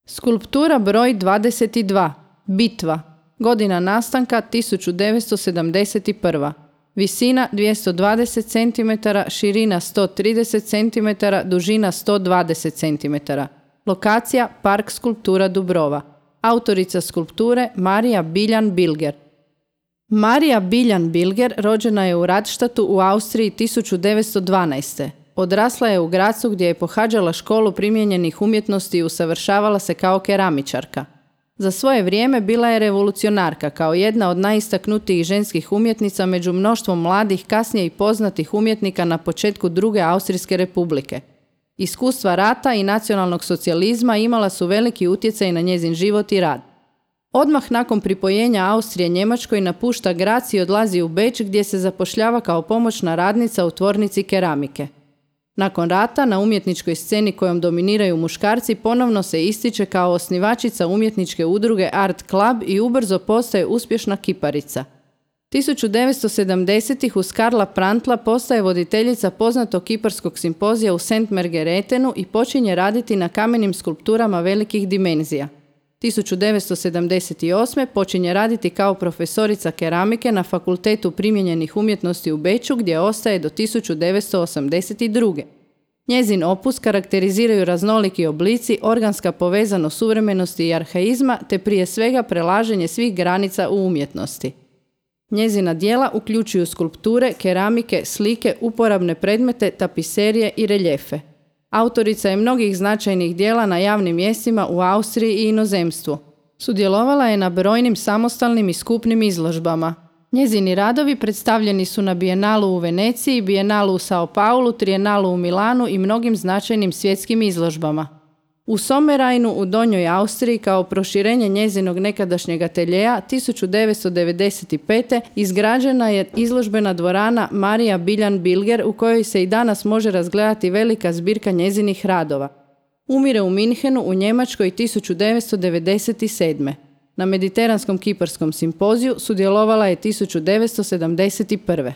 Skulptura broj 22. Bitva. Godina nastanka 1971. Visina 220 cm, širina 130 cm, dužina 120 cm. Lokacija Park skulptura Dubrova. Autorica skulpture Marija Biljan-Bilger. Marija Biljan-Bilger rođena je u Radštatu u Austriji 1912. Odrasla je u Grazu gdje je pohađala školu primijenjenih umjetnosti i usavršavala se kao keramičarka. Za svoje vrijeme bila je revolucionarka kao jedna od najistaknutijih ženskih umjetnica među mnoštvom mladih, kasnije i poznatih umjetnika na početku Druge Austrijske republike. Iskustva rata i nacionalnog socijalizma imala su veliki utjecaj na njezin život i rad. Odmah nakon pripojenja Austrije Njemačkoj napušta Graz i odlazi u Beč gdje se zapošljava kao pomoćna radnica u tvornici keramike. Nakon rata na umjetničkoj sceni kojom dominiraju muškarci ponovno se ističe kao osnivačica umjetničke udruge Art Club i ubrzo postaje uspješna kiparica. 1970-ih uz Karla Prantla postaje voditeljica poznatog kiparskog simpozija u St. Margaretenu i počinje raditi na kamenim skulpturama velikih dimenzija. 1978. počinje raditi kao profesorica keramike na Fakultetu primijenjenih umjetnosti u Beču gdje ostaje do 1982. Njezin opus karakteriziraju raznoliki oblici, organska povezanost suvremenosti i arhaizma te prije svega prelaženje svih granica u umjetnosti. Njezina djela uključuju skulpture, keramike, slike, uporabne predmete, tapiserije i reljefe. Autorica je mnogih značajnih djela na javnim mjestima u Austriji i inozemstvu. Sudjelovala je na brojnim samostalnim i skupnim izložbama. Njezini radovi predstavljeni su na Bijenalu u Veneciji, Bijenalu u Sao Paulu, Trijenalu u Milanu i mnogim značajnim svjetskim izložbama. U Sommerajnu u Donjoj Austriji kao proširenje njezinog nekadašnjeg ateljeja 1995. izgrađena je izložbena dvorana Marija Biljan-Bilger u kojoj se i danas može razgledati velika zbirka njezinih radova. Umire u Minhenu u Njemačkoj 1997. Na Mediteranskom kiparskom simpoziju sudjelovala je 1971.